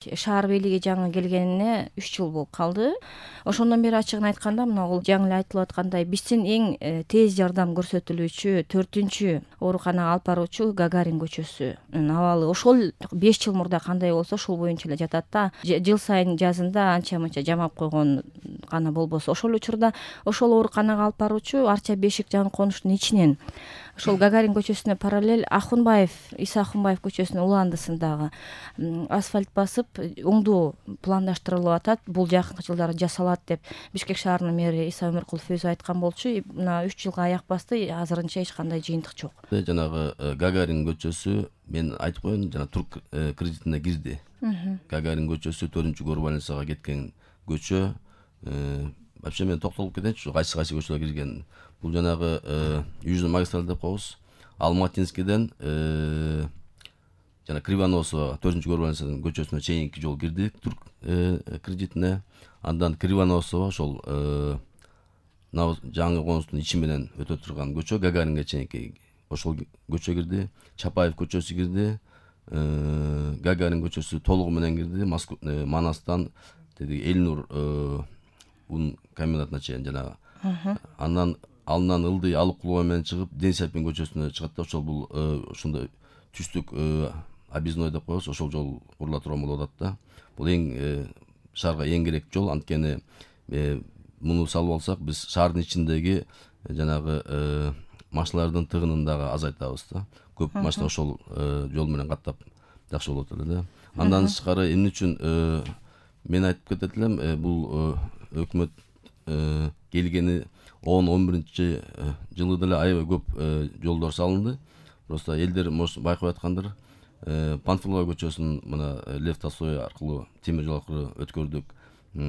Шаар бийлиги жаңы келгенине 3 жыл болуп калды. Ошондон бери ачыгын айтканда мына бул жаңы эле айтылып аткандай биздин эң тез жардам көрсөтүлүүчү 4-чү ооруканага алып баруучу Гагарин көчөсүнүн абалы ошол 5 жыл мурда кандай болсо ошол боюнча эле жатат да. Жыл сайын жазында анча мынча жамап койгон гана болбосо ошол учурда ошол ооруканага алып баруучу Арча Бешик жаңы конуштун ичинен ошол Гагарин көчөсүнө параллель Иса Ахунбаев көчөсүнүн уландысындагы асфальт басып оңдоо пландаштырылып атат. Бул жакынкы жылдары жасалат деп Бишкек шаарынын мэри Иса Өмүркулов өзү айткан болчу. Мына 3 жылга аяк басты, азырынча эч кандай жыйынтык жок. Жанагы Гагарин көчөсү мен айтып коеюн, жана Турк кредитине кирди. Гагарин көчөсү 4-көр больницага кеткен көчө. Вообще мен токтолуп кетейинчи, кайсы көчөлөр кирген. Бул жанагы Южный магистраль деп коебуз. Алматинскийден жана Кривоносова 4-көр больницанын көчөсүнө чейинки жол кирди Турк кредитине. Андан Кривоносова ошол жаңы конуштун ичи менен өтө турган көчө Гагаринге чейинки ошол көчө кирди. Чапаев көчөсү кирди. Гагарин көчөсү толугу менен кирди. Манастан Элнур ун комбинатына чейин жанагы. Андан ылдый алып кулова менен чыгып Денисапин көчөсүнө чыгат да ошол бул ошондой түстүк объездной деп коебуз. Ошол жол курула турган болуп атат да. Бул эң шаарга эң керек жол. Анткени муну салып алсак биз шаардын ичиндеги жанагы машиналардын тыгынын дагы азайтабыз да. Көп машина ошол жол менен каттап жакшы болот эле да. Андан тышкары эмне үчүн мен айтып кетет элем, бул өкмөт келгени 10-11 жылы деле аябай көп жолдор салынды. Просто элдер байкап аткандыр. Панфилова көчөсүн мына Лев Толстой аркылуу темир жол аркылуу өткөрдүк.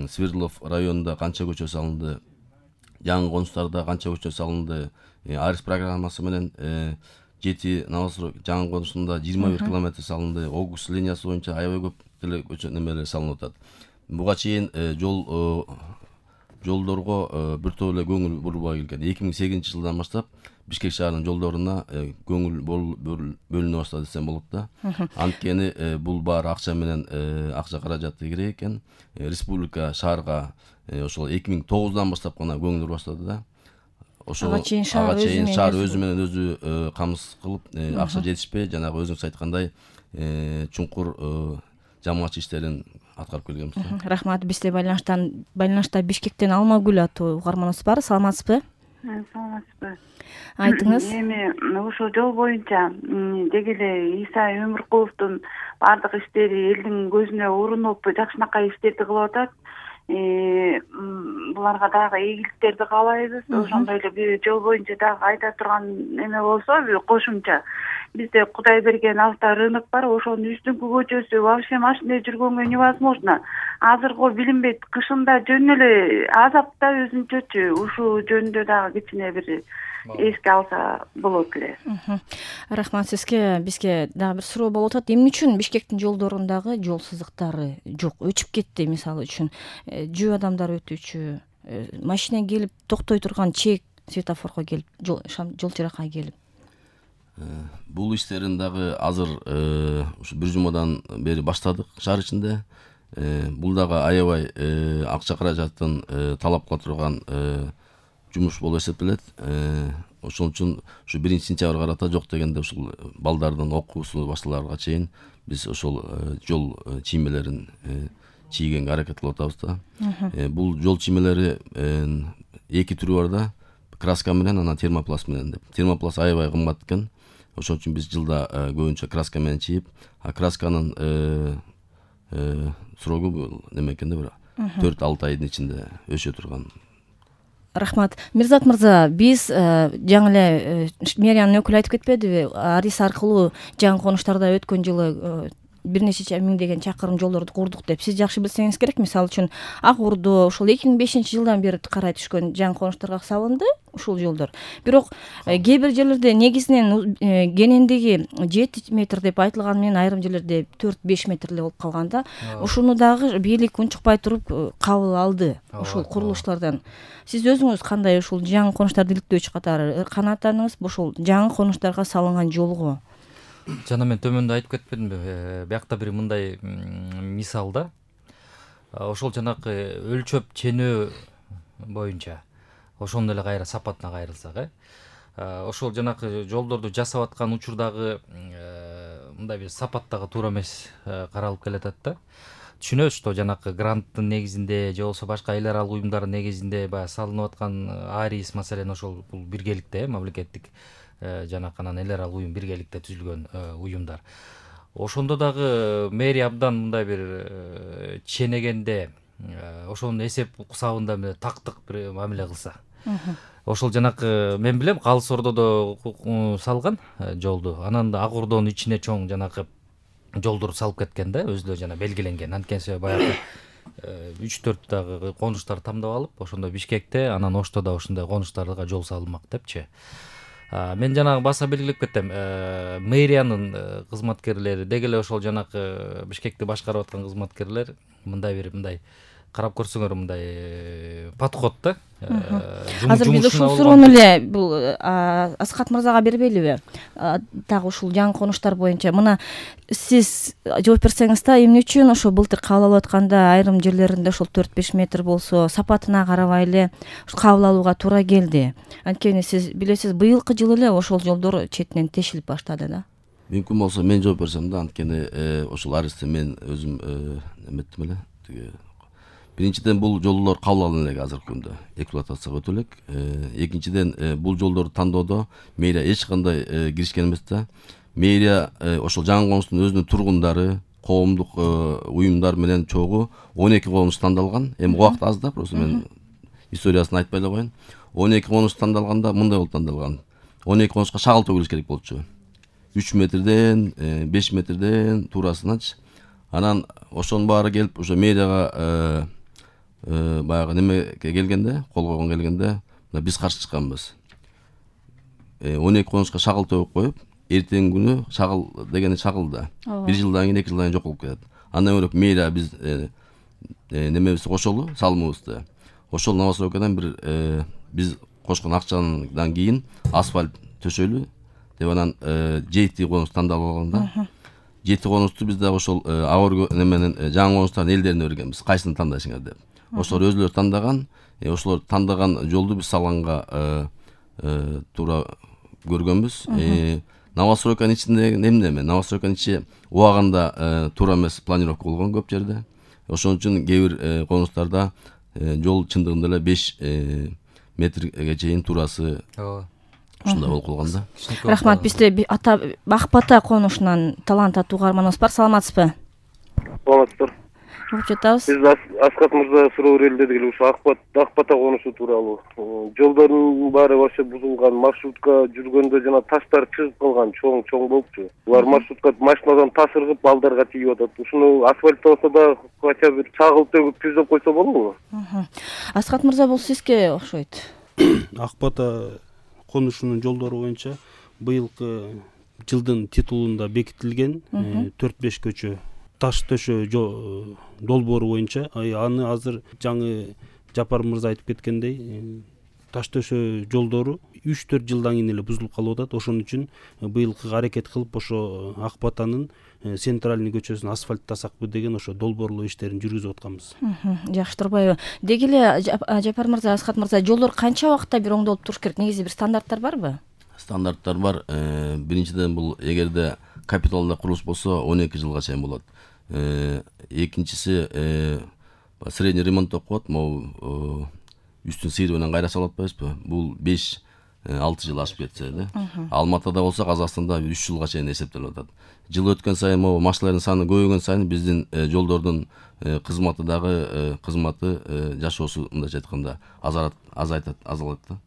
Свердлов районунда канча көчө салынды. Жаңы конуштарда канча көчө салынды. Арис программасы менен 7 Новострой жаңы конуштунда 21 километр салынды. Огус линиясы боюнча аябай көп деле көчө немелер салынып атат. Буга чейин жолдорго биртоп эле көңүл бурбай келген. 2008 жылдан баштап Бишкек шаарынын жолдоруна көңүл бөлүнө баштады десем болот да. Анткени бул баары акча менен акча каражаты керек экен. Республика шаарга ошол 2009-дан баштап гана көңүл бура баштады да. Ага чейин шаар өзү менен өзү камсыз кылып, акча жетишпей, жанагы өзүңүз айткандай чуңкур жамаатчы иштерин аткарып келгенбиз. Рахмат. Бизде байланышта Бишкектен Алмагүл аттуу угарманыбыз бар. Саламатсызбы? Саламатсызбы. Айтыңыз. Эми ошол жол боюнча деги эле Иса Өмүркуловдун бардык иштери элдин көзүнө урунуп жакшынакай иштерди кылып атат. Буларга дагы ийгиликтерди каалайбыз. Ошондой эле жол боюнча дагы айта турган эме болсо кошумча бизде Кудай берген авторынок бар. Ошонун үстүнкү көчөсү вообще машина жүргөнгө невозможно. Азыркы билинбейт, кышында жөн эле азапта өзүнчөчү. Ушул жөнүндө дагы кичине бир эске алса болот эле. Рахмат сизге. Бизге дагы бир суроо болуп атат. Эмне үчүн Бишкектин жолдорундагы жол сызыктары жок, өчүп кетти мисалы үчүн? Жөө адамдар өтүүчү, машина келип токтой турган чек светофорго келип, жол чыракка келип. Бул иштерин дагы азыр ушу бир жумадан бери баштадык шаар ичинде. Бул дагы аябай акча каражатын талап кыла турган жумуш болуп эсептелет. Ошон үчүн ушу 1-сентябрга карата жок дегенде ушул балдардын окуусу башталарга чейин биз ошол жол чиймелерин чийгенге аракет кылып атабыз да. Бул жол чиймелери эки түрү бар да. Краска менен, анан термопласт менен деп. Термопласт аябай кымбат экен. Ошон үчүн биз жылда көбүнчө краска менен чийип, красканын срогу неме экен да, бир 4-6 айдын ичинде өсө турган. Рахмат. Мирзат мырза, биз жаңы эле мэриянын өкүлү айтып кетпедиби? Арис аркылуу жаңы конуштарда өткөн жылы бир нече миңдеген чакырым жолдорду курдук деп. Сиз жакшы билсеңиз керек. Мисалы үчүн Ак Ордо ошол 2005-жылдан бери карай түшкөн жаңы конуштарга салынды ушул жолдор. Бирок кээ бир жерлерде негизинен кенендиги 7 метр деп айтылган менен айрым жерлерде 4-5 метр эле болуп калган да. Ушуну дагы бийлик унчукпай туруп кабыл алды ушул курулуштардан. Сиз өзүңүз кандай ушул жаңы конуштарды иликтөөчү катары канааттаныңыз ушул жаңы конуштарга салынган жолго? Жана мен төмөндө айтып кетпедимби, биякта бир мындай мисал да. Ошол жанакы өлчөп ченөө боюнча ошондо эле кайра сапатына кайрылсак, ошол жанакы жолдорду жасап аткан учурдагы мындай бир сапаттагы туура эмес каралып келатат да. Түшүнөбүз, что жанакы гранттын негизинде же болбосо башка эл аралык уюмдардын негизинде баягы салынып аткан АРИС маселен ошол бул биргеликте, мамлекеттик жанакы анан эл аралык уюм биргеликте түзүлгөн уюмдар. Ошондо дагы мэрия абдан мындай бир ченегенде ошонун эсеп кусабында тактык бир мамиле кылса. Ошол жанакы мен билем Калыс Ордодо салган жолду. Анан да Ак Ордонун ичине чоң жанакы жолдор салып кеткен да, өзү жана белгиленген. Анткени баягы 3-4 дагы конуштар тамдап алып, ошондо Бишкекте, анан Ошто да ошондой конуштарга жол салынмак депчи. Мен жанагы баса белгилеп кетем. Мэриянын кызматкерлери, деги эле ошол жанакы Бишкекти башкарып аткан кызматкерлер мындай карап көрсөңөр мындай подход да. Азыр биз ушул суроону эле бул Аскат мырзага бербейлиби? Дагы ушул жаңы конуштар боюнча мына сиз жооп берсеңиз да, эмне үчүн ошо былтыр кабыл алып атканда айрым жерлеринде ошол 4-5 метр болсо сапатына карабай эле кабыл алууга туура келди? Анткени сиз билесиз, быйылкы жылы эле ошол жолдор четинен тешилип баштады да. Мүмкүн болсо мен жооп берсем да, анткени ошол аризди мен өзүм эметтим эле. Биринчиден бул жолдор кабыл алынып элек азыркы күндө эксплуатацияга өтө элек. Экинчиден бул жолдорду тандоодо мэрия эч кандай киришкен эмес да. Мэрия ошол жаңы конуштун өзүнүн тургундары, коомдук уюмдар менен чогуу 12 конуш тандалган. Эми убакыт аз да, просто мен историясын айтпай эле коеюн. 12 конуш тандалганда мындай болуп тандалган. 12 конушка шагыл төгүлүш керек болчу. 3 метрден, 5 метрден туурасыначы. Анан ошонун баары келип, ошо мэрияга баягы немеге келгенде, кол койгон келгенде, биз каршы чыкканбыз. 12 конушка шагыл төгүп коюп, эртеңки күнү шагыл дегени шагыл да. 1 жылдан кийин, 2 жылдан кийин жок болуп кетет. Андан бөлөк мэрия биз немебизди кошолу, салымыбызды. Ошол Новостройкадан бир биз кошкон акчадан кийин асфальт төшөлү деп анан 7 конуш тандалып алганда. 7 конушту биз дагы ошол Агор неменен жаңы конуштардын элдерине бергенбиз. Кайсыны тандайсыңар деп. Ошолор өзүлөрү тандаган, ошолор тандаган жолду биз салганга туура көргөнбүз. Новостройканын ичинде эмне? Новостройканын ичи убагында туура эмес планировка болгон көп жерде. Ошон үчүн кээ бир конуштарда жол чындыгында эле 5 метрге чейин туурасы ушундай болуп калган да. Рахмат. Бизде Акбата конушунан талант аттуу угарманыбыз бар. Саламатсызбы? Саламатсыздар. Жатабыз. Биз Аскат мырза суроо берели дедик эле, ушу Акбата конушу тууралуу. Жолдордун баары вообще бузулган, маршрутка жүргөндө жана таштар чыгып калган, чоң болупчу. Булар маршрутка машинадан таш ыргып балдарга тийип атат. Ушуну асфальттабаса да кача бир чагыл төгүп түзөп койсо болобу? Аскат мырза, бул сизге окшойт. Акбата конушунун жолдору боюнча быйылкы жылдын титулунда бекитилген 4-5 көчө таш төшөө долбоору боюнча, аны азыр жаңы Жапар мырза айтып кеткендей таш төшөө жолдору 3-4 жылдан кийин эле бузулуп калып атат. Ошон үчүн быйылкы аракет кылып ошо Акбатанын центральный көчөсүн асфальттасакпы деген ошо долбоорлоо иштерин жүргүзүп атканбыз. Жакшы турбайбы? Деги эле Жапар мырза, Аскат мырза, жолдор канча убакытта бир оңдолуп туруш керек? Негизи бир стандарттар барбы? Стандарттар бар. Биринчиден бул эгерде капиталда курулуш болсо 12 жылга чейин болот. Экинчиси средний ремонт деп коет, могу үстүн сыйры менен кайра салып атпайбызбы? Бул 5-6 жыл ашып кетсе да. Алматыда болсо, Казакстанда 3 жылга чейин эсептелип атат. Жыл өткөн сайын могу машиналардын саны көбөйгөн сайын биздин жолдордун кызматы дагы жашоосу мындайча айтканда азалат да.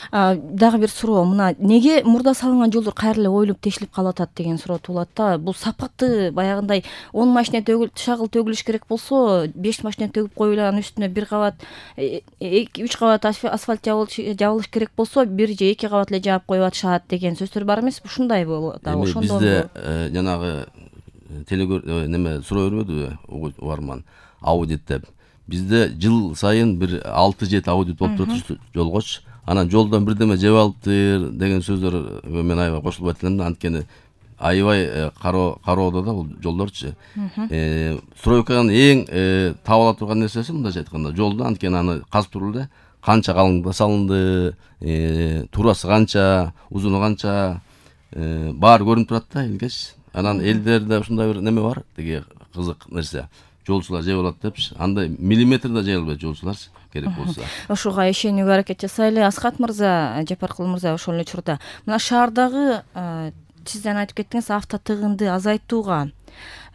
Дагы бир суроо, мына неге мурда салынган жолдор кайра эле оюлуп тешилип калып атат деген суроо туулат да. Бул сапаты баягындай 10 машина шагыл төгүлүш керек болсо, 5 машина төгүп коюп анын үстүнө 1 кабат 2-3 кабат асфальт жабылыш керек болсо, 1 же 2 кабат эле жаап коюп атышат деген сөздөр бар эмеспи? Ушундай болот да. Ошондо бизде жанагы суроо бербедиби угарман, аудит деп. Бизде жыл сайын бир 6-7 аудит болуп турат жолгоч. анан жолдон бирдеме жеп алыптыр деген сөздөргө мен аябай кошулбайт элем да. Анткени аябай кароодо да бул жолдорчу. Стройканын эң таап ала турган нерсеси мындайча айтканда жолду. Анткени аны казып туруп эле канча калыңдыкта салынды, туурасы канча, узуну канча баары көрүнүп турат да илгеч. Анан элдерде ушундай бир неме бар, тиги кызык нерсе. Жолчулар жеп алат депчи. Андай миллиметр да жей албайт жолчулар керек болсо. Ошого ишенүүгө аракет жасайлы. Асхат мырза, Жапаркул мырза, ошол эле учурда мына шаардагы сиз айтып кеттиңиз, авто тыгынды азайтууга,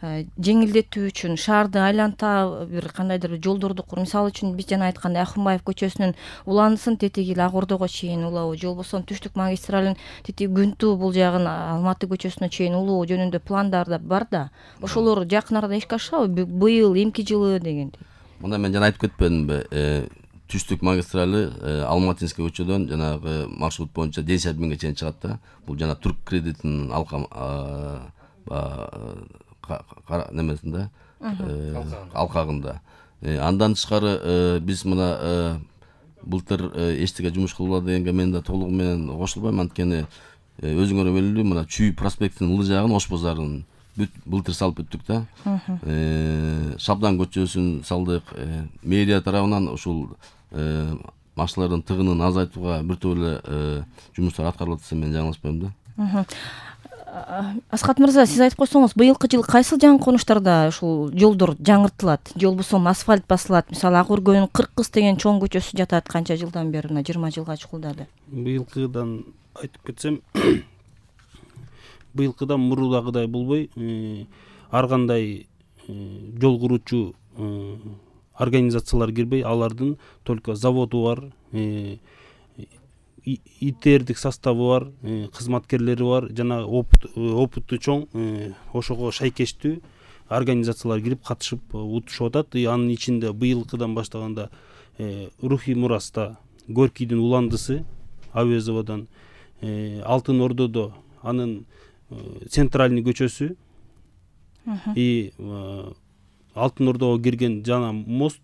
жеңилдетүү үчүн шаарды айланта бир кандайдыр жолдорду куруп, мисалы үчүн биз жана айткандай Акунбаев көчөсүнүн уландысын тетиги Ак Ордого чейин улоо, же болбосо Түштүк магистралын тетиги Күнтүү бул жагын Алматы көчөсүнө чейин улоо жөнүндө пландар да бар да. Ошолор жакын арада ишке ашабы? Быйыл, эмки жылы дегендей. Мында мен жана айтып кетпедимби? Түштүк магистралы Алматинский көчөдөн жанагы маршрут боюнча Десябинге чейин чыгат да. Бул жана Турк кредитинин немесинде, алкагында. Андан тышкары биз мына былтыр эчтеке жумуш кылгыла дегенге мен да толугу менен кошулбайм. Анткени өзүңөр белгилүү, мына Чүй проспектинин ылы жагын, Ош базарын былтыр салып бүттүк да. Шабдан көчөсүн салдык. Мэрия тарабынан ушул машиналардын тыгынын азайтууга бир топ эле жумуштар аткарылып атса мен жаңылышпайм да. Асхат мырза, сиз айтып койсоңуз, быйылкы жылы кайсы жаңы конуштарда ушул жолдор жаңыртылат, же болбосо асфальт басылат? Мисалы, Ак Өргөнүн 40 кыз деген чоң көчөсү жатат, канча жылдан бери, 20 жылга чукулдады. Быйылкыдан айтып кетсем, быйылкыдан мурдагыдай болбой, ар кандай жол куруучу организациялар кирбей, алардын только заводу бар, ИТРдик составы бар, кызматкерлери бар, жана опыты чоң, ошого шайкештүү организациялар кирип катышып утушуп атат. Анын ичинде быйылкыдан баштаганда Рухий Мураста Горькийдин уландысы, Авезовадан, Алтын Ордодо анын центральный көчөсү, и Алтын Ордого кирген жана мост,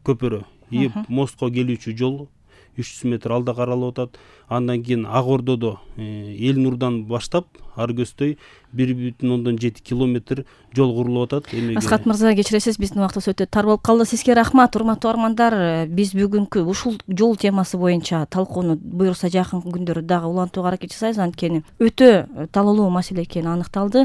көпүрө, и мостко келүүчү жол 300 метр алда каралып атат. Андан кийин Ак Ордодо Эл Нурдан баштап ар көздөй 1,7 километр жол курулуп атат. Асхат мырза, кечиресиз, биздин убактыбыз өтө тар болуп калды. Сизге рахмат, урматтуу армандар. Биз бүгүнкү ушул жол темасы боюнча талкууну буюрса жакын күндөрү дагы улантууга аракет жасайбыз. Анткени өтө талоолуу маселе экени аныкталды.